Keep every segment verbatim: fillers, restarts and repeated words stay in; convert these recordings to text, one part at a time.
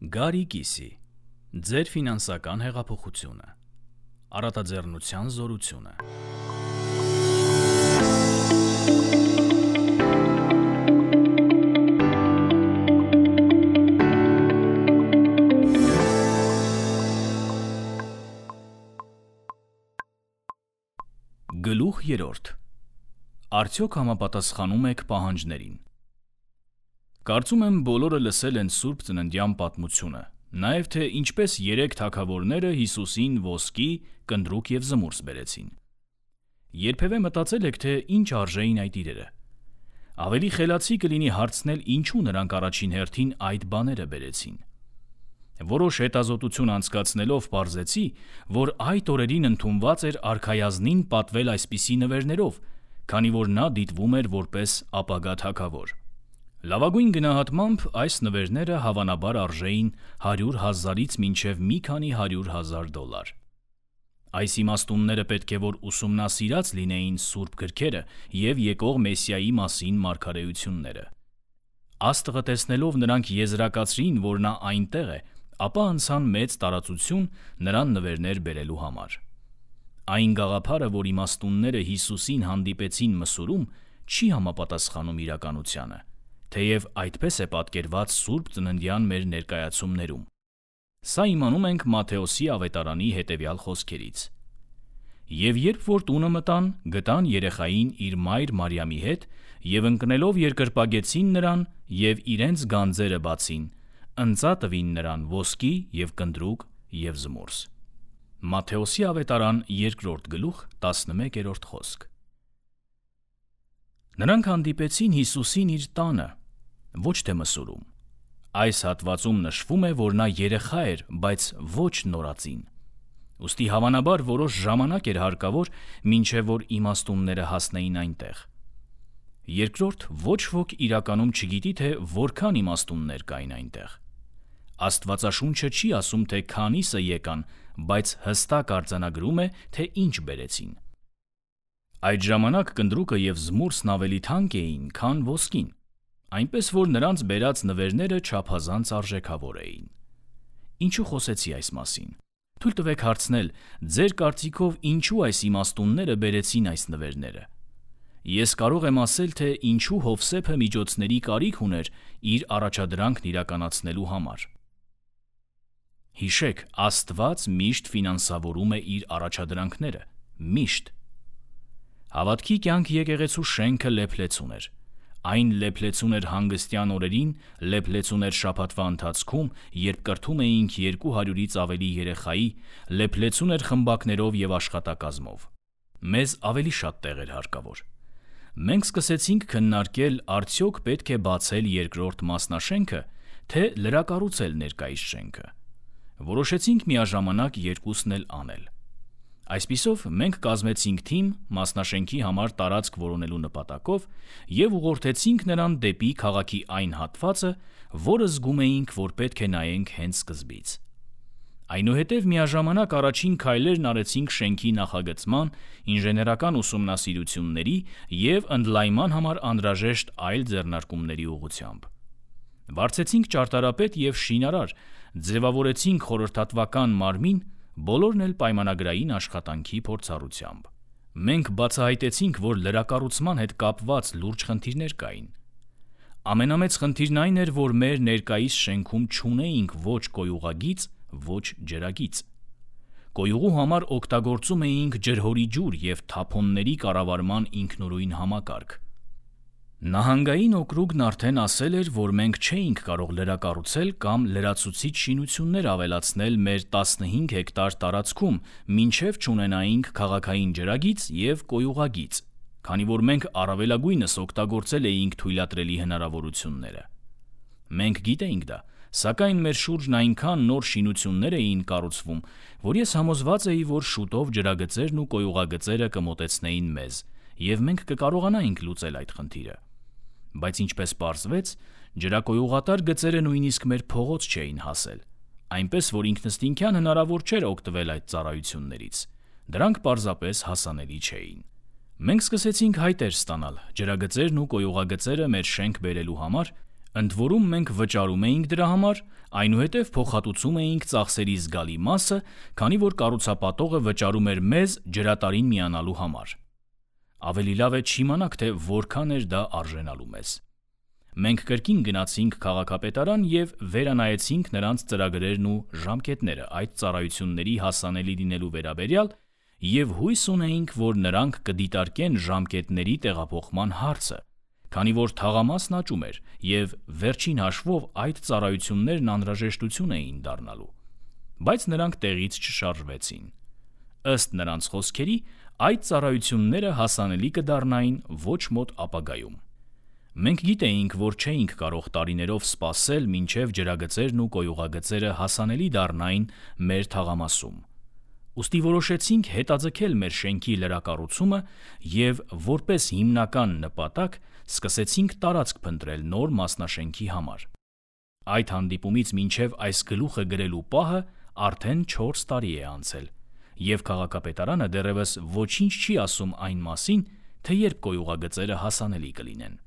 Գարի Կիսի, ձեր ֆինանսական հեղափոխությունը, առատաձեռնության զորությունը։ Գլուխ երրորդ. Արդյոք համապատասխանում եք պահանջներին։ Կարծում եմ բոլորը լսել են Սուրբ Ծննդյան պատմությունը, նաև թե ինչպես երեք թագավորները Հիսուսին ոսկի, կնդրուկ և զմուրս բերեցին։ Երբևէ մտածել եք, թե ինչ արժեին այդ իրերը։ Ավելի խելացի կլինի հարցնել, ինչու նրանք առաջին հերթին այդ բաները բերեցին։ Որոշ հետազոտություն անցկացնելով պարզեցի, որ այդ օրերին ընդունված էր արքայազնին պատվել այսպիսի նվերներով, քանի որ նա դիտվում էր որպես ապագա թագավոր։ Լավագույն գնահատմամբ այս նվերները հավանաբար արժեին հարյուր հազարից մինչև մի քանի հարյուր հազար դոլար։ Այս իմաստունները պետք է որ ուսումնասիրած լինեին սուրբ գրքերը և եկող Մեսիայի մասին մարգարեությունները։ Աստղը տեսնելով նրանք եզրակացրին, որ նա այնտեղ է, ապա անցան մեծ տարածություն նրան նվերներ բերելու համար։ Այն գաղափարը, որ իմաստունները Հիսուսին հանդիպեցին մսուրում, չի համապատասխանում իրականությանը, թեև այդպես է պատկերված Սուրբ Ծննդյան մեր ներկայացումներում։ Սա իմանում ենք Մատթեոսի ավետարանի հետևյալ խոսքերից. «Եվ երբ որ տունը մտան, գտան երեխային իր մայր Մարիամի հետ, և ընկնելով երկրպագեցին նրան և իրենց գանձերը բացին, ընծա տվին նրան ոսկի և կնդրուկ և զմուրս»։ Մատթեոսի ավետարան երկրորդ գլուխ տասնմեկերորդ խոսք։ Նրանք հանդիպեցին Հիսուսին իր տանը, ոչ թե մսուրում։ Այս հատվածում նշվում է, որ նա երեխա էր, բայց ոչ նորածին։ Ուստի հավանաբար որոշ ժամանակ էր հարկավոր, մինչև որ իմաստունները հասնեին այնտեղ։ Երկրորդ, ոչ ոք իրականում չգիտի, թե որքան իմաստուններ կային այնտեղ։ Աստվածաշունչը չի ասում, թե քանիսը եկան, բայց հստակ արձանագրում է, թե ինչ բերեցին։ Այդ ժամանակ կնդրուկը և զմուրսն ավելի թանկ էին, քան ոսկին, այնպես որ նրանց բերած նվերները չափազանց արժեքավոր էին։ Ինչու խոսեցի այս մասին։ Թույլ տվեք հարցնել, ձեր կարծիքով ինչու այս իմաստունները բերեցին այս նվերները։ Ես կարող եմ ասել, թե ինչու Հովսեփը միջոցների կարիք ուներ իր առաջադրանքն իրականացնելու համար։ Հիշեք, Աստված միշտ ֆինանսավորում է իր առաջադրանքները, միշտ։ Հավատքի կյանք եկեղեցու շենքը լեփլեցուն էր։ Այն լեփլեցուն էր հանգստյան օրերին, լեփլեցուն էր շաբաթվա ընթացքում, երբ կրթում էինք երկու հարյուրից ավելի երեխայի, լեփլեցուն էր խմբակներով և աշխատակազմով։ Մեզ ավելի շատ տեղ էր հարկավոր։ Մենք սկսեցինք քննարկել արդյոք պետք է բացել երկրորդ մասնաշենքը, թե լրակառուցել ներկայիս շենքը։ Որոշեցինք միաժամանակ երկուսն էլ անել։ Այսպիսով մենք կազմեցինք թիմ մասնաշենքի համար տարածք որոնելու նպատակով և ուղղորդեցինք նրան դեպի քաղաքի այն հատվածը, որը զգում էինք, որ պետք է նայենք հենց սկզբից։ Այնուհետև միաժամանակ առաջին քայլերն արեցինք շենքի նախագծման, ինժեներական ուսումնասիրությունների և ընդլայնման համար անհրաժեշտ այլ ձեռնարկումների ուղղությամբ։ Վարձեցինք ճարտարապետ և շինարար, ձևավորեցինք խորհրդատվական մարմին, բոլորն էլ պայմանագրային աշխատանքի փորձառությամբ։ Մենք բացահայտեցինք, որ լրակառուցման հետ կապված լուրջ խնդիրներ կային։ Ամենամեծ խնդիրն այն էր, որ մեր ներկայիս շենքում չունեինք ոչ կոյուղագիծ, ոչ ջրագիծ։ Կոյուղու համար օգտագործում էինք ջրհորի ջուր և թափոնների կառավարման ինքնուրույն համակարգ։ Նահանգային օկրուգն արդեն ասել էր, որ մենք չէինք կարող լրակառուցել կամ լրացուցիչ շինություններ ավելացնել մեր տասնհինգ հեկտար տարածքում, մինչև չունենայինք քաղաքային ջրագիծ և կոյուղագիծ, քանի որ մենք առավելագույնս օգտագործել էինք թույլատրելի հնարավորությունները։ Մենք գիտեինք դա, սակայն մեր շուրջն այնքան նոր շինություններ էին կառուցվում, որ ես համոզված էի, որ շուտով ջրագծերն ու կոյուղագծերը կմոտեցնեին մեզ, և մենք կկարողանայինք լուծել այդ խնդիրը։ Բայց ինչպես պարզվեց, ջրակոյուղատար գծերը նույնիսկ մեր փողոց չէին հասել, այնպես որ ինքնըստինքյան հնարավոր չէր օգտվել այդ ծառայություններից։ Դրանք պարզապես հասանելի չէին։ Մենք սկսեցինք հայտեր ստանալ ջրագծերն ու կոյուղագծերը մեր շենք բերելու համար, Ընդ որում մենք վճարում էինք դրա համար, այնուհետև փոխհատուցում էինք ծախսերի զգալի մասը, քանի որ կառուցապատողը վճարում էր մեզ ջրատարին միանալու համար։ Ավելի լավ է չիմանաք, թե որքան էր դա արժենալու մեզ։ Մենք կրկին գնացինք քաղաքապետարան և վերանայեցինք նրանց ծրագրերն ու ժամկետները այդ ծառայությունների հասանելի լինելու վերաբերյալ և հույս ունեինք, որ նրանք կդիտարկեն ժամկետների տեղափոխման հարցը, քանի որ թաղամասն աճում էր և վերջին հաշվով այդ ծառայություններն անհրաժեշտություն էին դառնալու, բայց նրանք տեղից չշարժվեցին։ Ըստ նրանց խոսքերի, այդ ծառայությունները հասանելի կդառնային ոչ մոտ ապագայում։ Մենք գիտեինք, որ չէինք կարող տարիներով սպասել, մինչև ջրագծերն ու կոյուղագծերը հասանելի դառնային մեր թաղամասում։ Ուստի որոշեցինք հետաձգել մեր շենքի լրակառուցումը և որպես հիմնական նպատակ սկսեցինք տարածք փնտրել նոր մասնաշենքի համար։ Այդ հանդիպումից մինչև այս գլուխը գրելու պահը արդեն չորս տարի է անցել, և քաղաքապետարանը դեռևս ոչինչ չի ասում այն մասին, թե երբ կոյուղագծերը հասանելի կլինեն։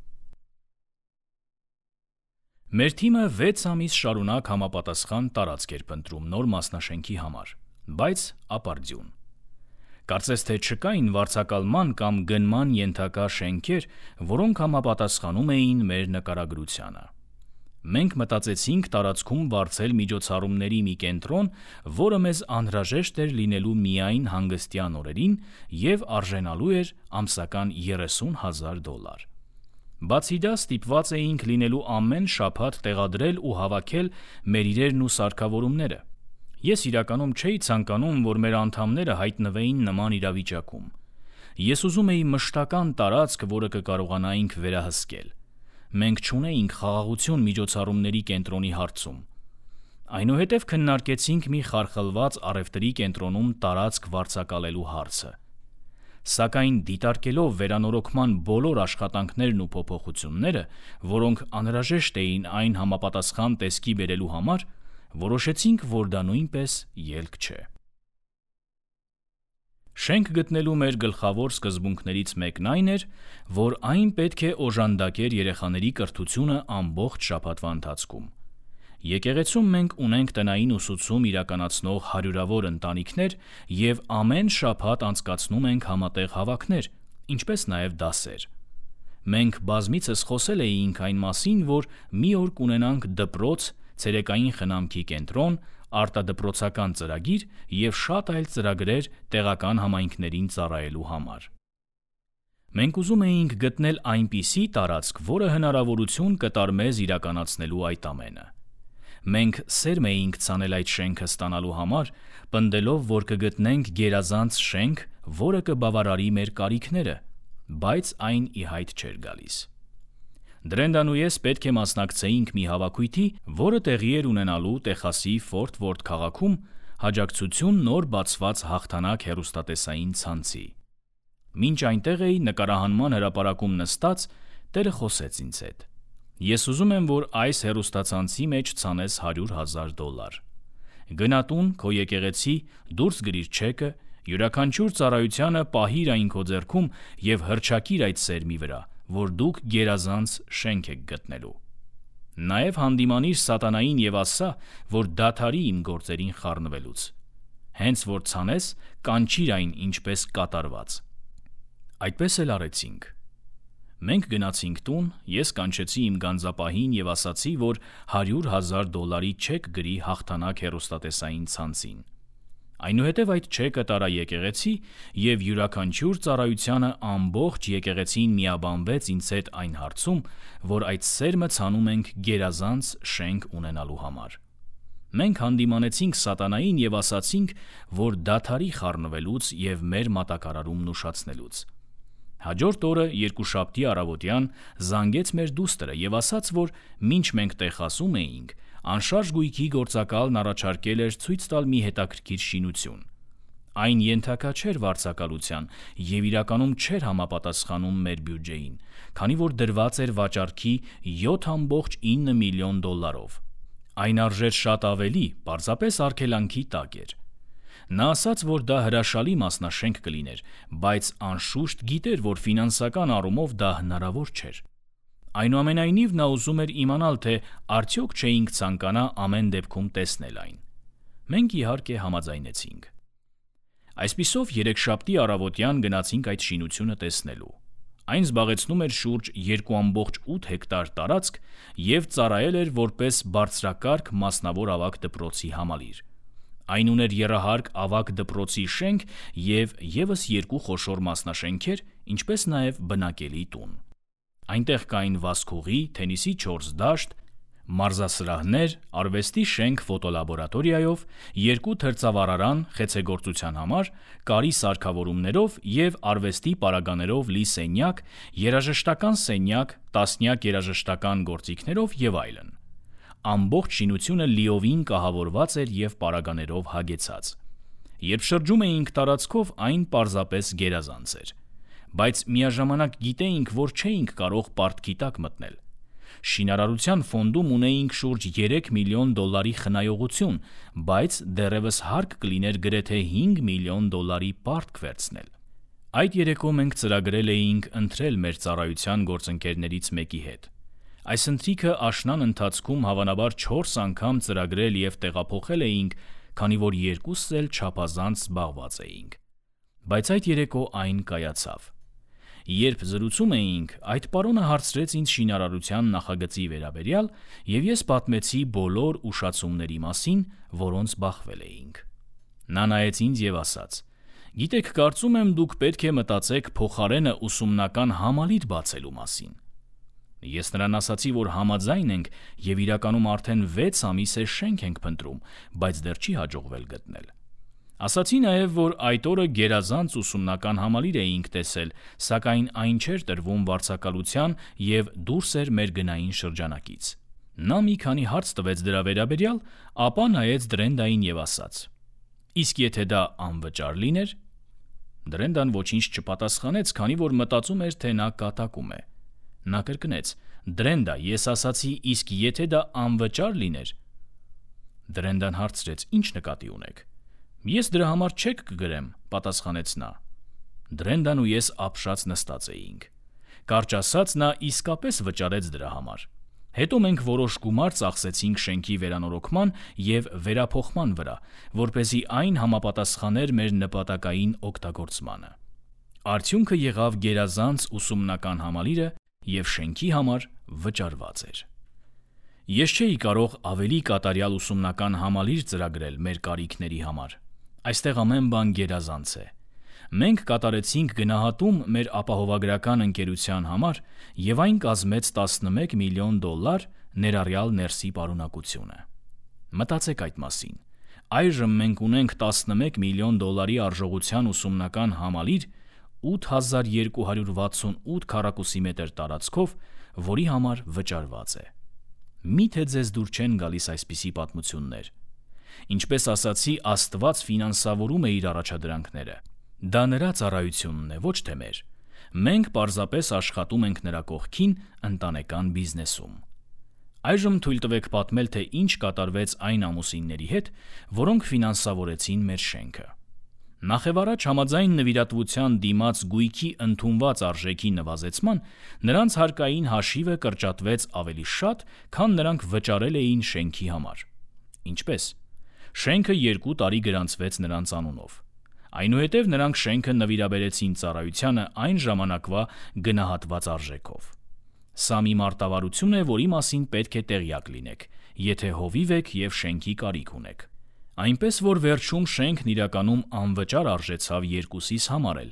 Մեր թիմը վեց ամիս շարունակ համապատասխան տարածք էր փնտրում նոր մասնաշենքի համար, բայց ապարդյուն։ Կարծես թե չկային վարձակալման կամ գնման ենթակա շենքեր, որոնք համապատասխանում էին մեր նկարագրությանը։ Մենք մտածեցինք տարածքում վարձել միջոցառումների մի կենտրոն, որը մեզ անհրաժեշտ էր լինելու միայն հանգստյան օրերին և արժենալու էր ամսական երեսուն հազար դոլար։ Բացի դա ստիպված էինք լինելու ամեն շաբաթ տեղադրել ու հավաքել մեր իրերն ու սարքավորումները։ Ես իրականում չէի ցանկանում, որ մեր անդամները հայտնվեին նման իրավիճակում։ Ես ուզում էի մշտական տարածք, որը կկարողանայինք վերահսկել։ Մենք չունեինք խաղաղություն միջոցառումների կենտրոնի հարցում։ Այնուհետև քննարկեցինք մի խարխլված առևտրի կենտրոնում տարածք վարձակալելու հարցը։ Սակայն դիտարկելով վերանորոգման բոլոր աշխատանքներն ու փոփոխությունները, որոնք անհրաժեշտ էին այն համապատասխան տեսքի բերելու համար, որոշեցինք, որ դա նույնպես ելք չէ։ Շենք գտնելու մեր գլխավոր սկզբունքներից մեկն այն էր, որ այն պետք է օժանդակեր երեխաների կրթությունը ամբողջ շաբաթվա ընթացքում։ Եկեղեցում մենք ունենք տնային ուսուցում իրականացնող հարյուրավոր ընտանիքներ և ամեն շաբաթ անցկացնում ենք համատեղ հավաքներ, ինչպես նաև դասեր։ Մենք բազմիցս խոսել էինք այն մասին, որ մի օր կունենանք դպրոց, ցերեկային խնամքի կենտրոն, արտադպրոցական ծրագիր և շատ այլ ծրագրեր տեղական համայնքներին ծառայելու համար։ Մենք ուզում էինք գտնել այնպիսի տարածք, որը հնարավորություն կտար մեզ իրականացնելու այդ ամենը։ Մենք սերմ էինք ցանել այդ շենքը ստանալու համար, պնդելով, որ կգտնենք գերազանց շենք, որը կբավարարի մեր կարիքները, բայց այն ի հայտ չէր գալիս։ Դրենդան ու ես պետք է մասնակցեինք մի հավաքույթի, որը տեղի էր ունենալու Տեխասի Ֆորթ Որթ քաղաքում աջակցություն նոր բացված Հաղթանակ հեռուստատեսային ցանցի։ Մինչ այնտեղ էի նկարահանման հրապարակում նստած, Տերը խոսեց ինձ հետ։ Ես ուզում եմ, որ այս հեռուստացանցի մեջ ցանես հարյուր հազար դոլար։ Գնա տուն, քո եկեղեցի, դուրս գրիր չեկը, յուրաքանչյուր ծառայությանը պահիր այն քո ձեռքում և հռչակիր այդ սերմի վրա, որ դուք գերազանց շենք եք գտնելու։ Նաև հանդիմանիր սատանային և ասա, որ դադարի իմ գործերին խառնվելուց։ Հենց որ ցանես, կանչիր այն ինչպես կատարված։ Այդպես էլ արեցինք։ Մենք գնացինք տուն, ես կանչեցի իմ գանձապահին և ասացի, որ հարյուր հազար դոլարի չեք գրի Հաղթանակ հեռուստատեսային ցանցին։ Այնուհետև այդ չեկը տարա եկեղեցի և յուրաքանչյուր ծառայությանը ամբողջ եկեղեցին միաբանվեց ինձ հետ այն հարցում, որ այդ սերմը ցանում ենք գերազանց շենք ունենալու համար։ Մենք հանդիմանեցինք սատանային և ասացինք, որ դադարի խառնվելուց և մեր մատակարարումն ուշացնելուց։ Հաջորդ օրը երկուշաբթի առավոտյան զանգեց մեր դուստրը և ասաց, որ մինչ մենք Տեխասում էինք, անշարժ գույքի գործակալն առաջարկել էր ցույց տալ մի հետաքրքիր շինություն։ Այն ենթակա չէր վարձակալության և իրականում չէր համապատասխանում մեր բյուջեին, քանի որ դրված էր վաճառքի յոթ կόμma ինը միլիոն դոլարով։ Այն արժեր շատ ավելի, պարզապես արգելանքի տակ էր։ Նա ասաց, որ դա հրաշալի մասնաշենք կլիներ, բայց անշուշտ գիտեր, որ ֆինանսական առումով դա հնարավոր չէր։ Այնուամենայնիվ նա ուզում էր իմանալ, թե արդյոք չէինք ցանկանա ամեն դեպքում տեսնել այն։ Մենք իհարկե համաձայնեցինք։ Այսպիսով երեքշաբթի առավոտյան գնացինք այդ շինությունը տեսնելու։ Այն զբաղեցնում էր շուրջ երկու կόμma ութ հեկտար տարածք և ծառայել էր որպես բարձրակարգ մասնավոր ավագ դպրոցի համալիր։ Այն ուներ եռահարկ ավագ դպրոցի շենք և ևս երկու խոշոր մասնաշենքեր, ինչպես նաև բնակելի տուն։ Այնտեղ կային վազքուղի, թենիսի չորս դաշտ, մարզասրահներ, արվեստի շենք ֆոտոլաբորատորիայով, երկու թրծավառարան խեցեգործության համար, կարի սարքավորումներով և արվեստի պարագաներով լի սենյակ, երաժշտական սենյակ, տասնյակ երաժշտական գործիքներով և այլն։ Ամբողջ շինությունը լիովին կահավորված էր և պարագաներով հագեցած։ Երբ շրջում էինք տարածքով, այն պարզապես գերազանց էր։ Բայց միաժամանակ գիտեինք, որ չէինք կարող պարտքի տակ մտնել։ Շինարարության ֆոնդում ունեինք շուրջ երեք միլիոն դոլարի խնայողություն, բայց դեռևս հարկ կլիներ գրեթե հինգ միլիոն դոլարի պարտք վերցնել։ Այդ երեկո մենք ծրագրել էինք ընտրել մեր ծառայության գործընկերներից մեկի հետ։ Այս ընթրիքը աշնան ընթացքում հավանաբար չորս անգամ ծրագրել և տեղափոխել էինք, քանի որ երկուսս էլ չափազանց զբաղված էինք։ Բայց այդ երեկո այն կայացավ։ Երբ զրուցում էինք, այդ պարոնը հարցրեց ինձ շինարարության նախագծի վերաբերյալ, և ես պատմեցի բոլոր ուշացումների մասին, որոնց բախվել էինք։ Նա նայեց ինձ և ասաց. «Գիտեք, կարծում եմ դուք պետք է մտածեք փոխարենը ուսումնական համալիր բացելու մասին»։ Ես նրան ասացի, որ համաձայն ենք և իրականում արդեն վեց ամիս է շենք ենք փնտրում, բայց դեռ չի հաջողվել գտնել։ Ասացի նաև, որ այդ օրը գերազանց ուսումնական համալիր էինք տեսել, սակայն այն չէր տրվում վարձակալության և դուրս էր մեր գնային շրջանակից։ Նա մի քանի հարց տվեց դրա վերաբերյալ, ապա նայեց Դրենդային և ասաց. «Իսկ եթե դա անվճար լիներ»։ Դրենդան ոչինչ չպատասխանեց, քանի որ մտածում էր, թե նա կատակում է։ Նա կրկնեց. «Դրենդա, ես ասացի, իսկ եթե դա անվճար լիներ»։ Դրենդան հարցրեց. «Ինչ նկատի ունեք»։ «Ես դրա համար չեք կգրեմ», պատասխանեց նա։ Դրենդան ու ես ապշած նստած էինք։ Կարճ ասած, նա իսկապես վճարեց դրա համար։ Հետո մենք որոշ գումար ծախսեցինք շենքի վերանորոգման և վերափոխման վրա, որպեսզի այն համապատասխաներ մեր նպատակային օգտագործմանը։ Արդյունքը եղավ գերազանց ուսումնական համալիրը և շենքի համար վճարված էր։ Ես չէի կարող ավելի կատարյալ ուսումնական համալիր ծրագրել մեր կարիքների համար։ Այստեղ ամեն բան գերազանց է։ Մենք կատարեցինք գնահատում մեր ապահովագրական ընկերության համար, և այն կազմեց տասնմեկ միլիոն դոլար, ներառյալ ներսի պարունակությունը։ Մտածեք այդ մասին։ Այժմ մենք ունենք տասնմեկ միլիոն դոլարի արժողության ուսումնական համալիր ութ հազար երկու հարյուր վաթսունութ քառակուսի մետր տարածքով, որի համար վճարված է։ Միթե ձեզ դուր չեն գալիս այսպիսի պատմություններ։ Ինչպես ասացի, Աստված ֆինանսավորում է իր առաջադրանքները։ Դա նրա ծառայությունն է, ոչ թե մեր։ Մենք պարզապես աշխատում ենք նրա կողքին ընտանեկան բիզնեսում։ Այժմ թույլ տվեք պատմել, թե ինչ կատարվեց այն ամուսինների հետ, որոնք ֆինանսավորեցին մեր շենքը։ Նախևառաջ համաձայն նվիրատվության դիմաց գույքի ընդունված արժեքի նվազեցման, նրանց հարկային հաշիվը կրճատվեց ավելի շատ, քան նրանք վճարել էին շենքի համար։ Ինչպես։ Շենքը երկու տարի գրանցվեց նրանց անունով։ Այնուհետև նրանք շենքը նվիրաբերեցին ծառայությանը այն ժամանակվա գնահատված արժեքով։ Սա մի մարտավարություն է, որի մասին պետք է տեղյակ լինեք, եթե հովիվ եք և շենքի կարիք ունեք։ Այնպես որ վերջում շենքն իրականում անվճար արժեցավ երկուսիս համար էլ,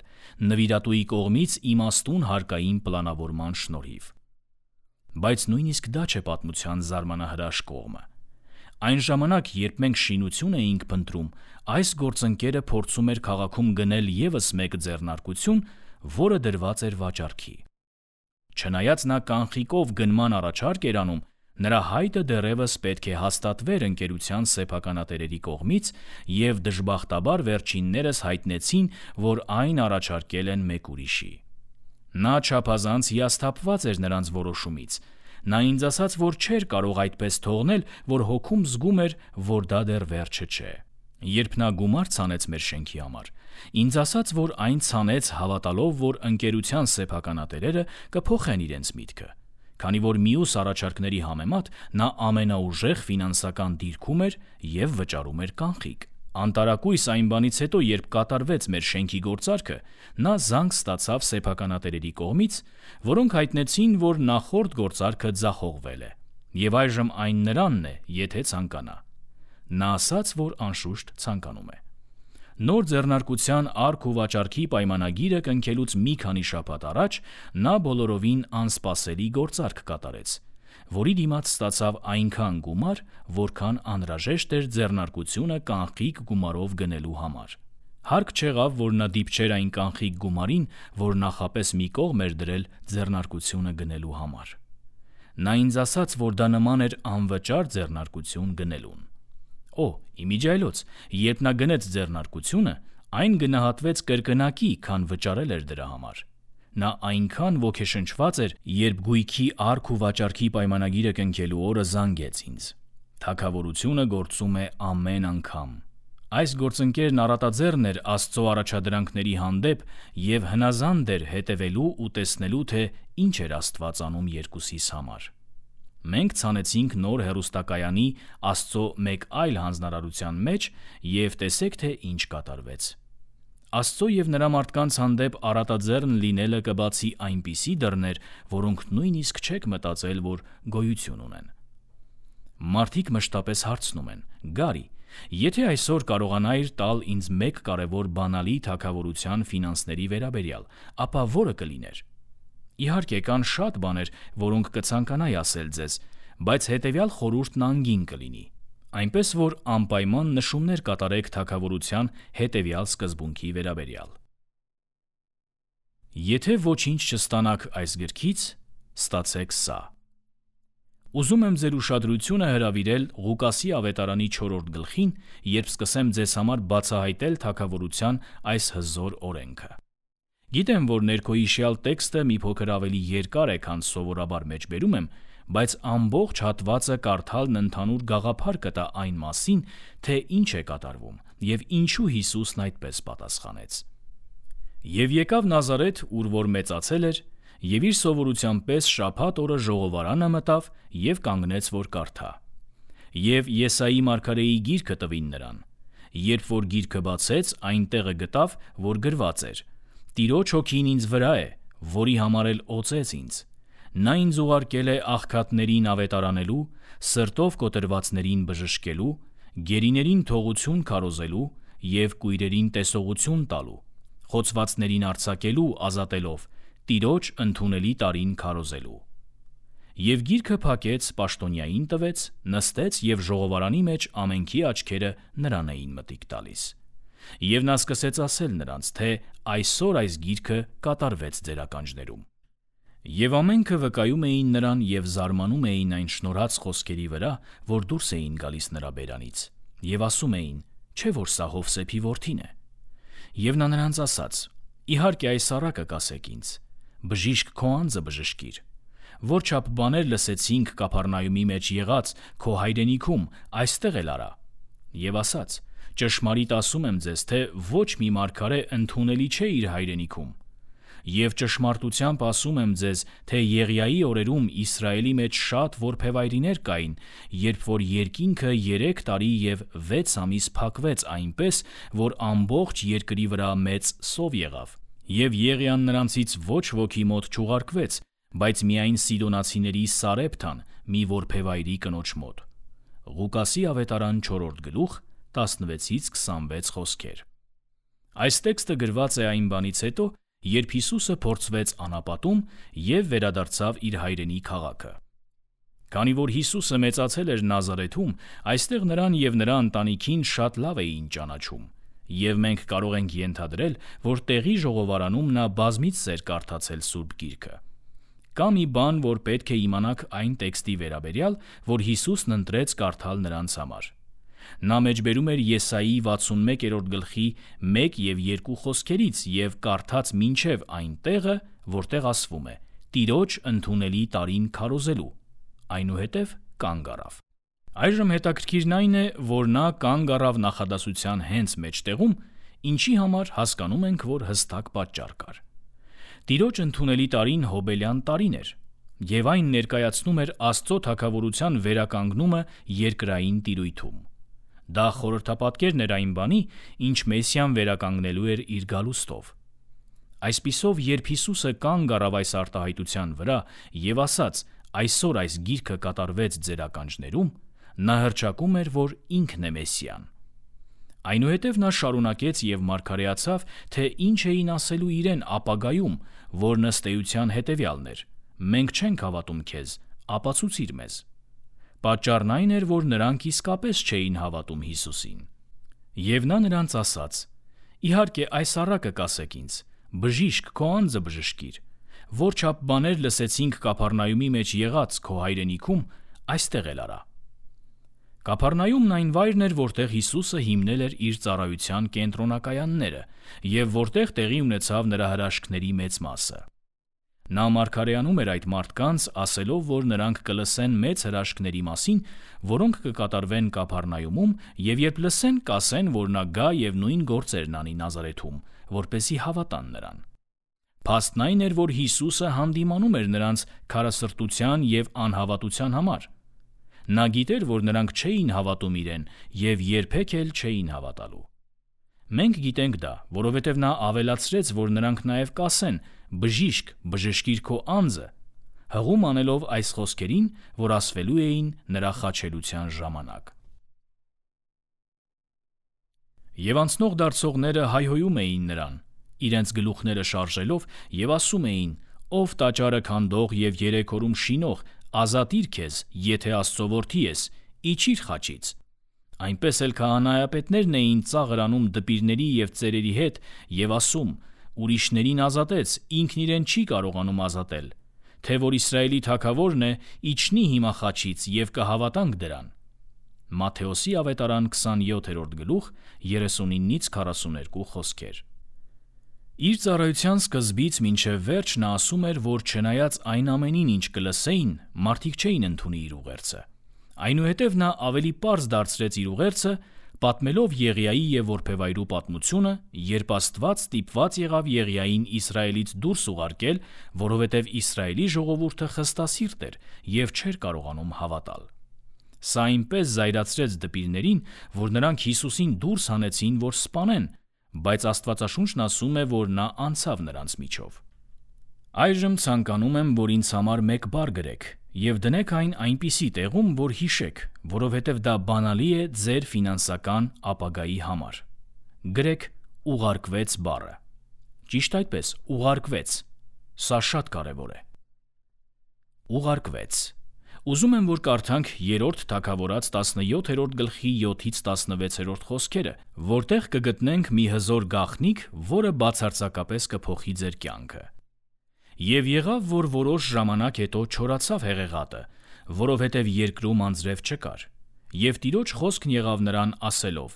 նվիրատուի կողմից իմաստուն հարկային պլանավորման շնորհիվ։ Բայց նույնիսկ դա չէ պատմության զարմանահրաշ կողմը։ Այն ժամանակ, երբ մենք շինություն էինք փնտրում, այս գործընկերը փորձում էր քաղաքում գնել ևս մեկ ձեռնարկություն, որը դրված էր վաճառքի։ Չնայած նա կանխիկով գնման առաջարկ էր անում, նրա հայտը դեռևս պետք է հաստատվեր ընկերության սեփականատերերի կողմից, և դժբախտաբար վերջիններս հայտնեցին, որ այն առաջարկել են մեկ ուրիշի։ Նա չափազանց հիասթափված էր նրանց որոշումից։ Նա ինձ ասաց, որ չէր կարող այդպես թողնել, որ հոգում զգում էր, որ դա դեռ վերջը չէ։ Երբ նա գումար ցանեց մեր շենքի համար, ինձ ասաց, որ այն ցանեց հավատալով, որ ընկերության սեփականատերերը կփոխեն իրենց միտքը, քանի որ մյուս առաջարկների համեմատ նա ամենաուժեղ ֆինանսական դիրքում էր և վճարում էր կանխիկ։ Անտարակույս այն բանից հետո, երբ կատարվեց մեր շենքի գործարքը, նա զանգ ստացավ սեփականատերերի կողմից, որոնք հայտնեցին, որ նախորդ գործարքը ձախողվել է, և այժմ այն նրանն է, եթե ցանկանա։ Նա ասաց, որ անշուշտ ցանկանում է։ Նոր ձեռնարկության առք ու վաճառքի պայմանագիրը կնքելուց մի քանի շաբաթ առաջ նա բոլորովին անսպասելի գործարք կատարեց, որի դիմաց ստացավ այնքան գումար, որքան անհրաժեշտ էր ձեռնարկությունը կանխիկ գումարով գնելու համար։ Հարկ չեղավ, որ նա դիպչեր այն կանխիկ գումարին, որ նախապես մի կողմ էր դրել ձեռնարկությունը գնելու համար։ Նա ինձ ասաց, որ դա նման էր անվճար ձեռնարկություն գնելուն։ Օ, իմիջիայլոց, երբ նա գնեց ձեռնարկությունը, այն գնահատվեց կրկնակի, քան վճարել էր դրա համար։ Նա այնքան ոգեշնչված էր, երբ գույքի առք ու վաճառքի պայմանագիրը կնքելու օրը զանգեց ինձ։ Թագավորությունը գործում է ամեն անգամ։ Այս գործընկերն առատաձեռն էր Աստծո առաջադրանքների հանդեպ և հնազանդ էր հետևելու ու տեսնելու, թե ինչ էր Աստված անում երկուսիս համար։ Մենք ցանեցինք նոր հեռուստակայանի Աստծո մեկ այլ հանձնարարության մեջ և տեսեք, թե ինչ կատարվեց։ Աստծո և նրա մարդկանց հանդեպ առատաձեռն լինելը կբացի այնպիսի դռներ, որոնք նույնիսկ չեք մտածել, որ գոյություն ունեն։ Մարդիկ մշտապես հարցնում են. «Գարի, եթե այսօր կարողանայիր տալ ինձ մեկ կարևոր բանալի թագավորության ֆինանսների վերաբերյալ, ապա որը կլիներ»։ Իհարկե, կան շատ բաներ, որոնք կցանկանայի ասել ձեզ, բայց հետևյալ խորհուրդն անգին կլինի. այնպես որ անպայման նշումներ կատարեք թագավորության հետևյալ սկզբունքի վերաբերյալ։ Եթե ոչինչ չստանաք այս գրքից, ստացեք սա։ Ուզում եմ ձեր ուշադրությունը հրավիրել Ղուկասի ավետարանի չորրորդ գլխին, երբ սկսեմ ձեզ համար բացահայտել թագավորության այս հզոր օրենքը։ Գիտեմ, որ ներքոհիշյալ տեքստը մի փոքր ավելի երկար է, քան սովորաբար մեջբերում եմ, բայց ամբողջ հատվածը կարդալն ընդհանուր գաղափար կտա այն մասին, թե ինչ է կատարվում և ինչու Հիսուսն այդպես պատասխանեց։ Եվ եկավ Նազարեթ, ուր որ մեծացել էր, և իր սովորության պես շաբաթ օրը ժողովարանը մտավ և կանգնեց, որ կարդա։ Եվ Եսայի մարգարեի գիրքը տվին նրան։ Երբ որ գիրքը բացեց, այն տեղը գտավ, որ գրված էր. «Տիրոջ հոգին ինձ վրա է, որի համար էլ օծեց ինձ։ Նա ինձ ուղարկել է աղքատներին ավետարանելու, սրտով կոտրվածներին բժշկելու, գերիներին թողություն քարոզելու և կույրերին տեսողություն տալու, խոցվածներին արձակելու ազատելով, Տիրոջ ընդունելի տարին քարոզելու»։ Եվ գիրքը փակեց, պաշտոնյային տվեց, նստեց և ժողովարանի մեջ ամենքի աչքերը նրան էին մտիկ տալիս։ Եվ նա սկսեց ասել նրանց, թե այսօր այս գիրքը կատարվեց ձեր ականջներում։ Եվ ամենքը վկայում էին նրան և զարմանում էին այն շնորհած խոսքերի վրա, որ դուրս էին գալիս նրա բերանից, և ասում էին. «Չէ՞ որ սա Հովսեփի որդին է»։ Եվ նա նրանց ասաց. «Իհարկե այս առակը կասեք ինձ. բժիշկ քո անձը բժշկիր։ Որչափ բաներ լսեցինք Կափառնայումի մեջ եղած քո հայրենիքում, այստեղ էլ արա»։ Եվ ասաց. «Ճշմարիտ ասում եմ ձեզ, թե ոչ մի մարգարե ընդունելի չէ իր հայրենիքում։ Եվ ճշմարտությամբ ասում եմ ձեզ, թե Եղիայի օրերում Իսրայելի մեջ շատ որբևայրիներ կային, երբ որ երկինքը երեք տարի և վեց ամիս փակվեց այնպես, որ ամբողջ երկրի վրա մեծ սով եղավ, և Եղիան նրանցից ոչ ոքի մոտ չուղարկվեց, բայց միայն Սիդոնացիների Սարեպթան, մի որբևայրի կնոջ մոտ»։ Ղուկասի ավետարան չորրորդ գլուխ տասնվեցից քսանվեց խոսքեր։ Այս տեքստը գրված է այն բանից հետո, երբ Հիսուսը փորձվեց անապատում և վերադարձավ իր հայրենի քաղաքը։ Քանի որ Հիսուսը մեծացել էր Նազարեթում, այստեղ նրան և նրա ընտանիքին շատ լավ էին ճանաչում, և մենք կարող ենք ենթադրել, որ տեղի ժողովարանում նա բազմիցս էր կարդացել Սուրբ Գիրքը։ Կա մի բան, որ պետք է իմանաք այն տեքստի վերաբերյալ, որ Հիսուսն ընտրեց կարդալ նրանց համար։ Նա մեջբերում էր Եսայի վաթսունմեկերորդ գլխի մեկ և երկու խոսքերից և կարդաց մինչև այն տեղը, որտեղ ասվում է. «Տիրոջ ընդունելի տարին քարոզելու», այնուհետև կանգ առավ։ Այժմ հետաքրքիրն այն է, որ նա կանգ առավ նախադասության հենց մեջտեղում, ինչի համար հասկանում ենք, որ հստակ պատճառ կար։ Տիրոջ ընդունելի տարին հոբելյան տարին էր։ եւ այն ներկայացնում էր Աստծո թագավորության վերականգնումը երկրային տիրույթում։ Դա խորհրդապատկերն էր այն բանի, ինչ Մեսիան վերականգնելու էր իր գալուստով։ Այսպիսով, երբ Հիսուսը կանգ առավ այս արտահայտության վրա եւ ասաց. «Այսօր այս գիրքը կատարվեց ձեր ականջներում», նա հռչակում էր, որ ինքն է Մեսիան։ Այնուհետև նա շարունակեց եւ մարգարեացավ, թե ինչ էին ասելու իրեն ապագայում, որն ըստ էության հետեւյալն էր. «Մենք չենք հավատում քեզ, ապացուցիր մեզ»։ Պատճառն այն էր, որ նրանք իսկապես չէին հավատում Հիսուսին։ Եվ նա նրանց ասաց. «Իհարկե, այս առակը կասեք ինձ. բժիշկ, քո անձը բժշկիր։ Որչափ բաներ լսեցինք Կափառնայումի մեջ եղած քո հայրենիքում, այստեղ էլ արա»։ Կափառնայումն այն վայրն էր, որտեղ Հիսուսը հիմնել էր իր ծառայության կենտրոնակայանները եւ որտեղ տեղի ունեցավ նրա հրաշքների մեծ մասը։ Նա մարգարեանում էր այդ մարդկանց, ասելով, որ նրանք կլսեն մեծ հրաշքների մասին, որոնք կկատարվեն Կափառնայումում, եւ երբ լսեն, կասեն, որ նա գա եւ նույն գործերն անի Նազարեթում, որպեսզի հավատան նրան։ Փաստն այն էր, որ Հիսուսը հանդիմանում էր նրանց քարասրտության եւ անհավատության համար։ Նա գիտեր, որ նրանք չէին հավատում իրեն եւ երբեք էլ չէին հավատալու։ Մենք գիտենք դա, որովհետև նա ավելացրեց, որ նրանք նաև կասեն. «Բժիշկ, բժշկիր քո անձը», հղում անելով այս խոսքերին, որ ասվելու էին նրա խաչելության ժամանակ։ Եվ անցնող դարձողները հայհոյում էին նրան, իրենց գլուխները շարժելով եւ ասում էին. «Ով տաճարը քանդող եւ երեք օրում շինող, ազատիր քեզ, եթե Աստծո որդի ես, իջիր խաչից»։ Այնպես էլ քահանայապետներն էին ծաղր անում դպիրների եւ ծերերի հետ եւ ասում. «Ուրիշներին ազատեց, ինքն իրեն չի կարողանում ազատել, թե որ Իսրայելի թագավորն է, իջնի հիմա խաչից եւ կհավատանք դրան»։ Մատթեոսի ավետարան քսանյոթերորդ գլուխ երեսունինից քառասուներկու խոսքեր։ Իր ծառայության սկզբից մինչև վերջ նա ասում էր, որ չնայած այն ամենին, ինչ կլսեին, մարդիկ չէին ընդունի իր ուղերձը։ Այնուհետև նա ավելի պարզ դարձրեց իր ուղերձը, պատմելով Եղիայի եւ որբևայրու պատմությունը, երբ Աստված ստիպված եղավ Եղիային Իսրայելից դուրս ուղարկել, որովհետև Իսրայելի ժողովուրդը խստասիրտ էր եւ չէր կարողանում հավատալ։ Սա այնպես զայրացրեց դպիրներին, որ նրանք Հիսուսին դուրս հանեցին, որ սպանեն, բայց Աստվածաշունչն ասում է, որ նա անցավ նրանց միջով։ Այժմ ցանկանում եմ, որ ինձ համար մեկ բառ գրեք եւ դնեք այն այնպիսի տեղում, որ հիշեք, որովհետև դա բանալի է ձեր ֆինանսական ապագայի համար։ Գրեք ուղարկվեց բառը։ Ճիշտ այդպես, ուղարկվեց։ Սա շատ կարևոր է։ Ուղարկվեց։ Ուզում եմ, որ կարդանք երրորդ Թագավորաց տասնյոթերորդ գլխի յոթից տասնվեցերորդ խոսքերը, որտեղ կգտնենք մի հզոր գաղտնիք, որը բացարձակապես կփոխի ձեր կյանքը։ Եվ եղավ, որ որոշ ժամանակ հետո չորացավ հեղեղատը, որովհետև երկրում անձրև չկար։ Եվ Տիրոջ խոսքն եղավ նրան ասելով.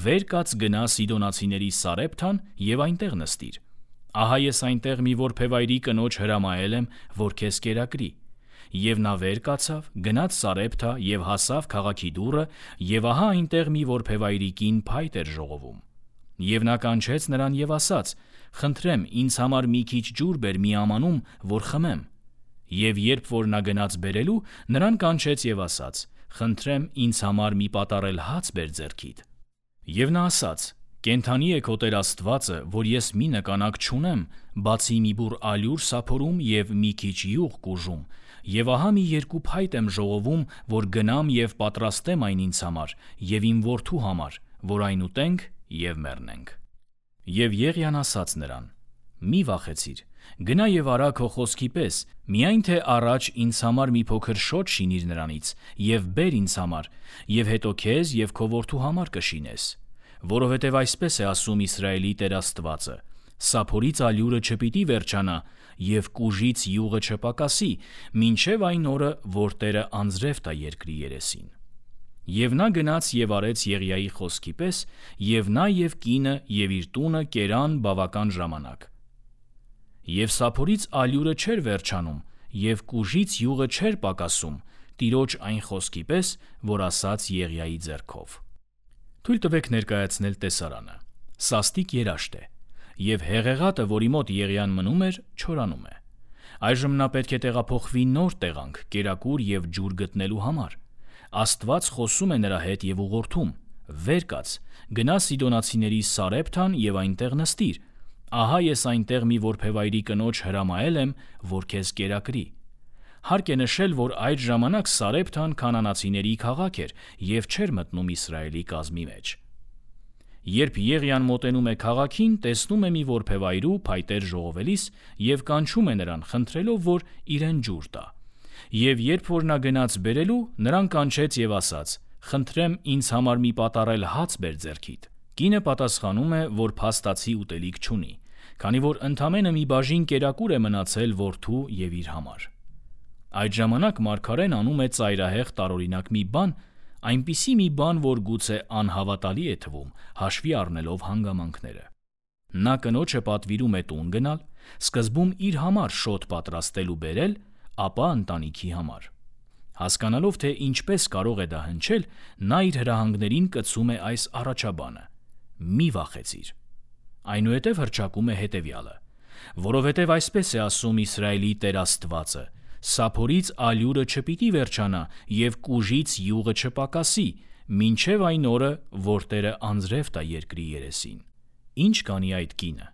«Վեր կաց գնա Սիդոնացիների Սարեպթան եւ այնտեղ նստիր։ Ահա ես այնտեղ մի որբևայրի կնոջ հրամայել եմ, որ քեզ կերակրի»։ Եվ նա վեր կացավ, գնաց Սարեպթա եւ հասավ քաղաքի դուռը, եւ ահա այնտեղ մի որբևայրի կին փայտ էր ժողովում։ Եվ նա կանչեց նրան եւ ասաց. «Խնդրեմ, ինձ համար մի քիչ ջուր բեր մի ամանում, որ խմեմ»։ Եվ երբ որ նա գնաց բերելու, նրան կանչեց եւ ասաց. «Խնդրեմ, ինձ համար մի պատառել հաց բեր ձեռքիդ»։ Եվ նա ասաց. «Կենդանի է քո Տեր Աստվածը, որ ես մի նկանակ չունեմ, բացի մի բուռ ալյուր սափորում եւ մի քիչ յուղ կուժում, եւ ահա մի երկու փայտ եմ ժողովում, որ գնամ եւ պատրաստեմ այն ինձ համար եւ իմ որդու համար, որ այն ուտենք եւ մեռնենք»։ Եվ Եղիան ասաց նրան. «Մի վախեցիր, գնա եւ արա քո խոսքի պես, միայն թե առաջ ինձ համար մի փոքր շոտ շինիր նրանից եւ բեր ինձ համար, եւ հետո քեզ եւ քո որդու համար կշինես, որովհետեւ այսպես է ասում Իսրայելի Տեր Աստվածը. սափորից ալյուրը չպիտի վերջանա եւ կուժից յուղը չպակասի, մինչեւ այն օրը, որ Տերը անձրև տա երկրի երեսին»։ Եվ նա գնաց եւ արեց Եղիայի խոսքի պես, եւ նա եւ կինը եւ իր տունը կերան բավական ժամանակ։ Եվ սափորից ալյուրը չէր վերջանում, եւ կուժից յուղը չէր պակասում, Տիրոջ այն խոսքի պես, որ ասաց Եղիայի ձեռքով։ Թույլ տվեք ներկայացնել տեսարանը։ Սաստիկ երաշտ է, եւ հեղեղատը, որի մոտ Եղիան մնում էր, չորանում է։ Այժմ նա պետք է տեղափոխվի նոր տեղանք, կերակուր և ջուր գտնելու համար։ Աստված խոսում է նրա հետ և ուղղորդում. «Վեր կաց, գնա Սիդոնացիների Սարեպթան և այնտեղ նստիր։ Ահա ես այնտեղ մի որբևայրի կնոջ հրամայել եմ, որ քեզ կերակրի»։ Հարկ է նշել, որ այդ ժամանակ Սարեպթան քանանացիների քաղաք էր և չէր մտնում Իսրայելի կազմի մեջ։ Երբ Եղիան մոտենում է քաղաքին, տեսնում է մի որբևայրու փայտեր ժողովելիս և կանչում է նրան, խնդրելով, որ իրեն ջուր տա։ Եվ երբ որ նա գնաց բերելու, նրան կանչեց և ասաց. «Խնդրեմ, ինձ համար մի պատառել հաց բեր ձեռքիդ»։ Կինը պատասխանում է, որ փաստացի ուտելիք չունի, քանի որ ընդամենը մի բաժին կերակուր է մնացել որդու և իր համար։ Այդ ժամանակ մարգարեն անում է ծայրահեղ տարօրինակ մի բան, այնպիսի մի բան, որ գուցե անհավատալի է թվում, հաշվի առնելով հանգամանքները։ Նա կնոջը պատվիրում է տուն գնալ, սկզբում իր համար շոթ պատրաստել ու բերել, ապա ընտանիքի համար։ Հասկանալով, թե ինչպես կարող է դա հնչել, նա իր հրահանգներին կցում է այս առաջաբանը. «Մի վախեցիր»։ Այնուհետև հռչակում է հետևյալը. «Որովհետև այսպես է ասում Իսրայելի Տեր Աստվածը. սափորից ալյուրը չպիտի վերջանա և կուժից յուղը չպակասի, մինչև այն օրը, որ Տերը անձրև տա երկրի երեսին»։ Ինչ կանի այդ կինը։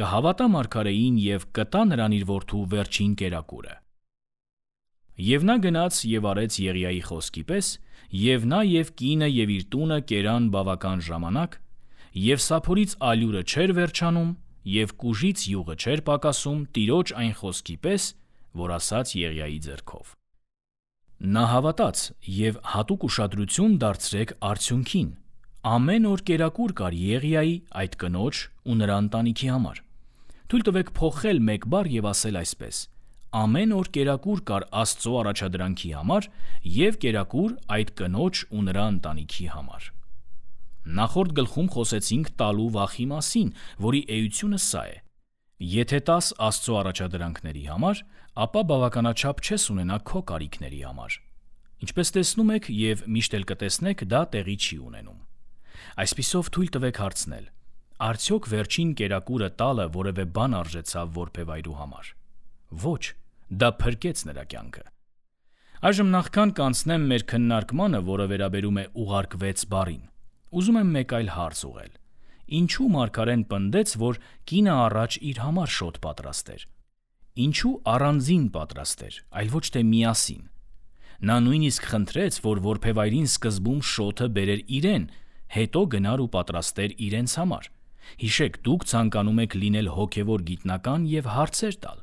Կհավատա մարգարեին և կտա նրան իր որդու վերջին կերակուրը։ Եվ նա գնաց և արեց Եղիայի խոսքի պես, և նա և կինը և իր տունը կերան բավական ժամանակ, և սափորից ալյուրը չէր վերջանում, և կուժից յուղը չէր պակասում Տիրոջ այն խոսքի պես, որ ասաց Եղիայի ձեռքով։ Նա հավատաց, և հատուկ ուշադրություն դարձրեք արդյունքին. ամեն օր կերակուր կար Եղիայի, այդ կնոջ ու նրա ընտանիքի համար։ Թույլ տվեք փոխել մեկ բառ և ասել այսպես. ամեն օր կերակուր կար Աստծո առաջադրանքի համար և կերակուր այդ կնոջ ու նրա ընտանիքի համար։ Նախորդ գլխում խոսեցինք տալու վախի մասին, որի էությունը սա է. եթե տաս Աստծո առաջադրանքների համար, ապա բավականաչափ չես ունենա քո կարիքների համար։ Ինչպես տեսնում եք և միշտ էլ կտեսնեք, դա տեղի չի ունենում։ Այսպիսով թույլ տվեք հարցնել. արդյոք վերջին կերակուրը տալը որևէ բան արժեցավ որբևայրու համար։ Ոչ, դա փրկեց նրա կյանքը։ Այժմ նախքան կանցնեմ մեր քննարկմանը, որը վերաբերում է ուղարկվեց բառին, ուզում եմ մեկ այլ հարց ուղղել. ինչու մարգարեն պնդեց, որ կինը առաջ իր համար շոթ պատրաստեր։ Ինչու առանձին պատրաստեր, այլ ոչ թե միասին։ Նա նույնիսկ խնդրեց, որ որբևայրին սկզբում շոթը բերեր իրեն, հետո գնար ու պատրաստեր իրենց համար։ Հիշեք, դուք ցանկանում եք լինել հոգևոր գիտնական և հարցեր տալ։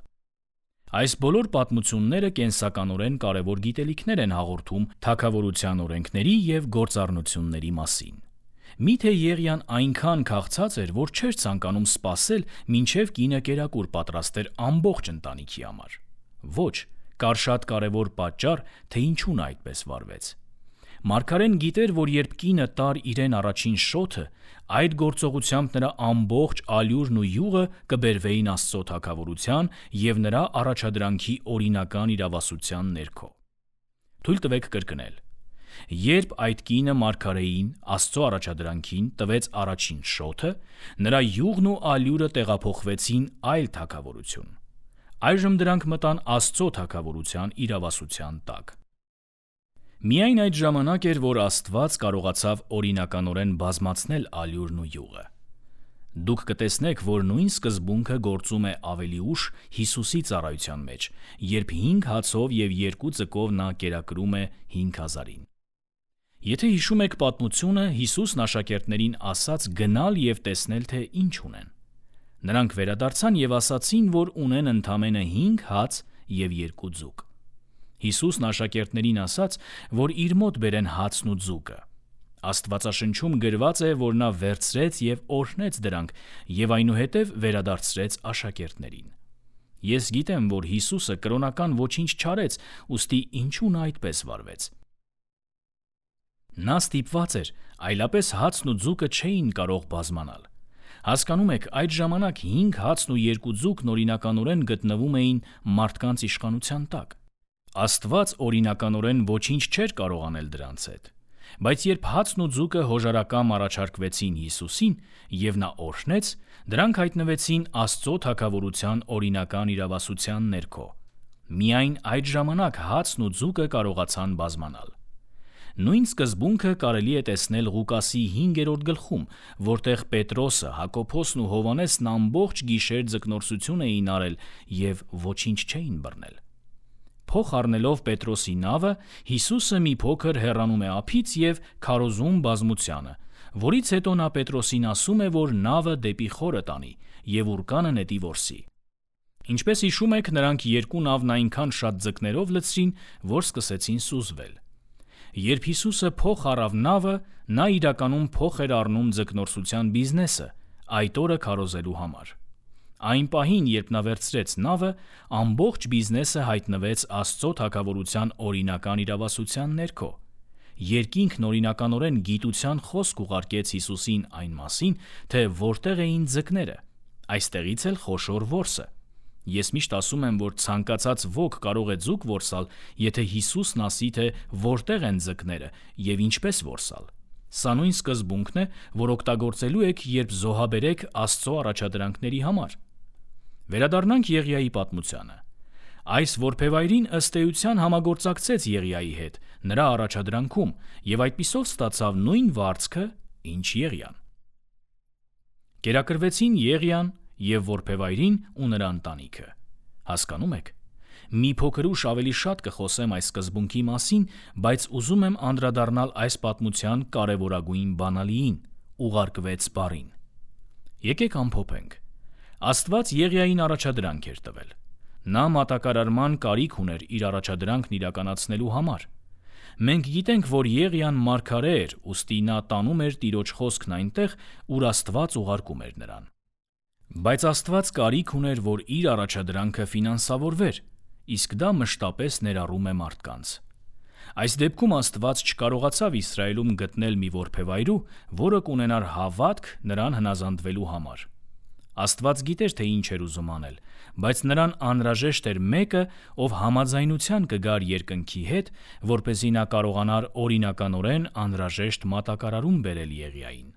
Այս բոլոր պատմությունները կենսականորեն կարևոր գիտելիքներ են հաղորդում թագավորության օրենքների և գործառնությունների մասին։ Միթե Եղիան այնքան քաղցած էր, որ չէր ցանկանում սպասել, մինչև կինը կերակուր պատրաստեր ամբողջ ընտանիքի համար։ Ոչ, կար շատ կարևոր պատճառ, թե ինչու նա այդպես վարվեց։ Մարգարեն գիտեր, որ երբ կինը տար իրեն առաջին շոթը, այդ գործողությամբ նրա ամբողջ ալյուրն ու յուղը կբերվեին Աստծո թագավորության և նրա առաջադրանքի օրինական իրավասության ներքո։ Թույլ տվեք կրկնել. երբ այդ կինը մարգարեին, Աստծո առաջադրանքին տվեց առաջին շոթը, նրա յուղն ու ալյուրը տեղափոխվեցին այլ թագավորություն։ Այժմ դրանք մտան Աստծո թագավորության իրավասության տակ։ Միայն այդ ժամանակ էր, որ Աստված կարողացավ օրինականորեն բազմացնել ալյուրն ու յուղը։ Դուք կտեսնեք, որ նույն սկզբունքը գործում է ավելի ուշ Հիսուսի ծառայության մեջ, երբ հինգ հացով և երկու ձկով նա կերակրում է հինգ հազարին։ Եթե հիշում եք պատմությունը, Հիսուսն աշակերտներին ասաց գնալ և տեսնել, թե ինչ ունեն։ Նրանք վերադարձան և ասացին, որ ունեն ընդամենը հինգ հաց և երկու ձուկ։ Հիսուսն աշակերտներին ասաց, որ իր մոտ բերեն հացն ու ձուկը։ Աստվածաշնչում գրված է, որ նա վերցրեց և օրհնեց դրանք և այնուհետև վերադարձրեց աշակերտներին։ Ես գիտեմ, որ Հիսուսը կրոնական ոչինչ չարեց, ուստի ինչու նա այդպես վարվեց։ Նա ստիպված էր, այլապես հացն ու ձուկը չէին կարող բազմանալ։ Հասկանում եք, այդ ժամանակ հինգ հացն ու երկու ձուկն օրինականորեն գտնվում էին մարդկանց իշխանության տակ։ Աստված օրինականորեն ոչինչ չէր կարող անել դրանց հետ։ Բայց երբ հացն ու ձուկը հոժարակամ առաջարկվեցին Հիսուսին եւ նա օրհնեց, դրանք հայտնվեցին Աստծո թագավորության օրինական իրավասության ներքո։ Միայն այդ ժամանակ հացն ու ձուկը կարողացան բազմանալ։ Նույն սկզբունքը կարելի է տեսնել Ղուկասի հինգերորդ գլխում, որտեղ Պետրոսը, Հակոբոսն ու Հովհաննեսն ամբողջ գիշեր ձկնորսություն էին արել եւ ոչինչ չէին բռնել։ Փոխ առնելով Պետրոսի նավը, Հիսուսը մի փոքր հեռանում է ափից եւ քարոզում բազմությանը, որից հետո նա Պետրոսին ասում է, որ նավը դեպի խորը տանի եւ ուռկանը նետի որսի։ Ինչպես հիշում եք, նրանք երկու նավն այնքան շատ ձկներով լցրին, որ սկսեցին սուզվել։ Երբ Հիսուսը փոխ առավ նավը, նա իրականում փոխ էր առնում ձկնորսության բիզնեսը այդ օրը քարոզելու համար։ Այն պահին, երբ նա վերցրեց նավը, ամբողջ բիզնեսը հայտնվեց Աստծո թագավորության օրինական իրավասության ներքո։ Երկինքն օրինականորեն գիտության խոսք ուղարկեց Հիսուսին այն մասին, թե որտեղ էին ձկները։ Այստեղից էլ խոշոր որսը։ Ես միշտ ասում եմ, որ ցանկացած ոք կարող է ձուկ որսալ, եթե Հիսուսն ասի, թե որտեղ են ձկները եւ ինչպես որսալ։ Սա նույն սկզբունքն է, որ օգտագործելու եք, երբ զոհաբերեք Աստծո առաջադրանքների համար։ Վերադառնանք Եղիայի պատմությանը։ Այս որբևայրին ըստ էության համագործակցեց Եղիայի հետ նրա առաջադրանքում եւ այդպիսով ստացավ նույն վարձքը, ինչ Եղիան։ Կերակրվեցին Եղիան եւ որբևայրին ու նրա ընտանիքը։ Հասկանում եք։ Մի փոքր ուշ ավելի շատ կխոսեմ այս սկզբունքի մասին, բայց ուզում եմ անդրադառնալ այս պատմության կարևորագույն բանալիին՝ ուղարկվեց բառին։ Եկեք ամփոփենք։ Աստված Եղիային առաջադրանք էր տվել։ Նա մատակարարման կարիք ուներ իր առաջադրանքն իրականացնելու համար։ Մենք գիտենք, որ Եղիան մարգարե էր, ուստի նա տանում էր Տիրոջ խոսքն այնտեղ, ուր Աստված ուղարկում էր նրան։ Բայց Աստված կարիք ուներ, որ իր առաջադրանքը ֆինանսավորվեր, իսկ դա մշտապես ներառում է մարդկանց։ Այս դեպքում Աստված չկարողացավ Իսրայելում գտնել մի որբևայրու, որը կունենար հավատք նրան հնազանդվելու համար։ Աստված գիտեր, թե ինչ էր ուզում անել, բայց նրան անհրաժեշտ էր մեկը, ով համաձայնության կգար երկնքի հետ, որպեսզի նա կարողանար օրինականորեն անհրաժեշտ մատակարարում բերել Եղիային։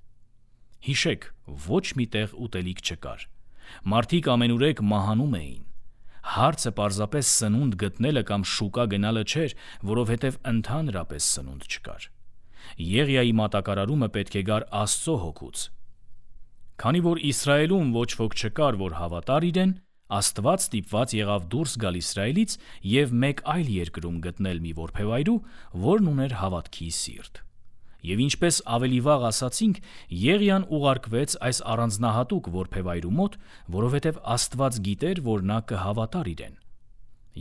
Հիշեք, ոչ մի տեղ ուտելիք չկար։ Մարդիկ ամենուրեք մահանում էին։ Հարցը պարզապես սնունդ գտնելը կամ շուկա գնալը չէր, որովհետև ընդհանրապես սնունդ չկար։ Եղիայի մատակարարումը պետք է գար Աստծո հոգուց։ Քանի որ Իսրայելում ոչ ոք չկար, որ հավատար իրեն, Աստված ստիպված եղավ դուրս գալ Իսրայելից եւ մեկ այլ երկրում գտնել մի որբևայրու, որն ուներ հավատքի սիրտ։ Եվ ինչպես ավելի վաղ ասացինք, Եղիան ուղարկվեց այս առանձնահատուկ որբևայրու մոտ, որովհետև Աստված գիտեր, որ նա կհավատար իրեն։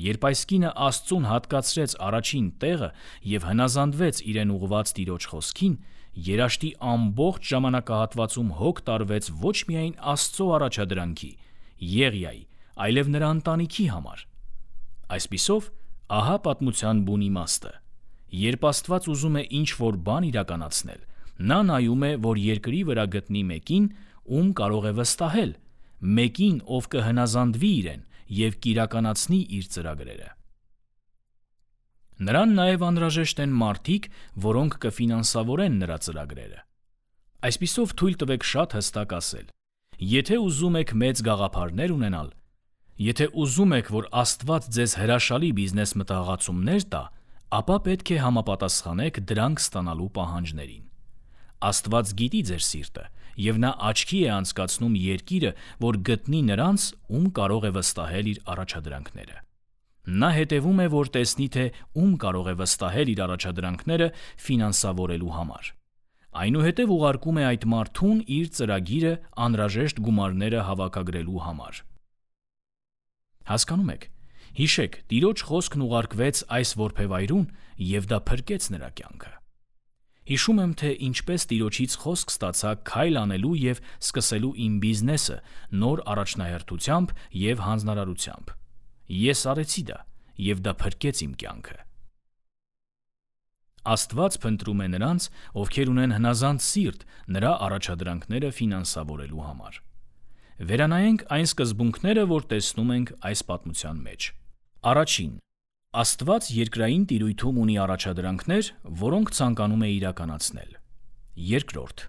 Երբ այս կինը Աստծուն հատկացրեց առաջին տեղը եւ հնազանդվեց իրեն ուղված Տիրոջ խոսքին, երաշտի ամբողջ ժամանակահատվածում հոգ տարվեց ոչ միայն Աստծո առաջադրանքի, Եղիայի, այլև նրա ընտանիքի համար։ Այսպիսով, ահա պատմության բուն իմաստը։ Երբ Աստված ուզում է ինչ-որ բան իրականացնել, նա նայում է, որ երկրի վրա գտնի մեկին, ում կարող է վստահել, մեկին, ով կհնազանդվի իրեն եւ կիրականացնի իր ծրագրերը։ Նրան նաև անհրաժեշտ են մարդիկ, որոնք կֆինանսավորեն նրա ծրագրերը։ Այսպիսով թույլ տվեք շատ հստակ ասել. եթե ուզում եք մեծ գաղափարներ ունենալ, եթե ուզում եք, որ Աստված ձեզ հրաշալի բիզնես մտահղացումներ տա, ապա պետք է համապատասխանեք դրանք ստանալու պահանջներին։ Աստված գիտի ձեր սիրտը, եւ նա աչքի է անցկացնում երկիրը, որ գտնի նրանց, ում կարող է վստահել իր առաջադրանքները։ Նա հետևում է, որ տեսնի, թե ում կարող է վստահել իր առաջադրանքները ֆինանսավորելու համար։ Այնուհետև ուղարկում է այդ մարդուն իր ծրագիրը անհրաժեշտ գումարները հավաքագրելու համար։ Հասկանում եք։ Հիշեք, Տիրոջ խոսքն ուղարկվեց այս որբևայրուն, եւ դա փրկեց նրա կյանքը։ Հիշում եմ, թե ինչպես Տիրոջից խոսք ստացա քայլ անելու եւ սկսելու իմ բիզնեսը նոր առաջնահերթությամբ եւ հանձնարարությամբ։ Ես արեցի դա, եւ դա փրկեց իմ կյանքը։ Աստված փնտրում է նրանց, ովքեր ունեն հնազանդ սիրտ նրա առաջադրանքները ֆինանսավորելու համար։ Վերանայենք այն սկզբունքները, որ տեսնում ենք այս պատմության մեջ։ Առաջին. Աստված երկրային տիրույթում ունի առաջադրանքներ, որոնք ցանկանում է իրականացնել։ Երկրորդ.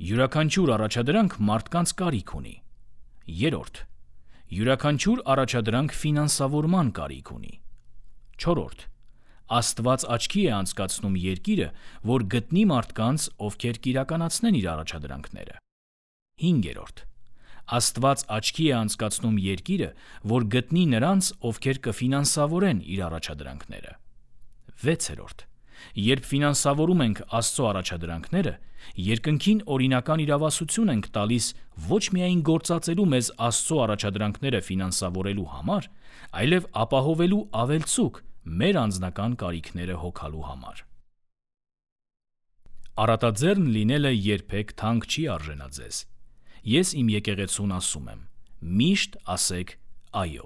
յուրաքանչյուր առաջադրանք մարդկանց կարիք ունի։ Երրորդ. յուրաքանչյուր առաջադրանք ֆինանսավորման կարիք ունի։ Չորրորդ. Աստված աչքի է անցկացնում երկիրը, որ գտնի մարդկանց, ովքեր կիրականացնեն իր առաջադրանքները։ Հինգերորդ. Աստված աչքի է անցկացնում երկիրը, որ գտնի նրանց, ովքեր կֆինանսավորեն իր առաջադրանքները։ Վեցերորդ. Երբ ֆինանսավորում ենք Աստծո առաջադրանքները, երկնքին օրինական իրավասություն ենք տալիս ոչ միայն գործածելու մեզ Աստծո առաջադրանքները ֆինանսավորելու համար, այլև ապահովելու ավելցուկ մեր անձնական կարիքները հոգալու համար։ Առատաձեռն լինելը երբեք թանկ չի արժենա ձեզ։ Ես իմ եկեղեցուն ասում եմ. միշտ ասեք այո։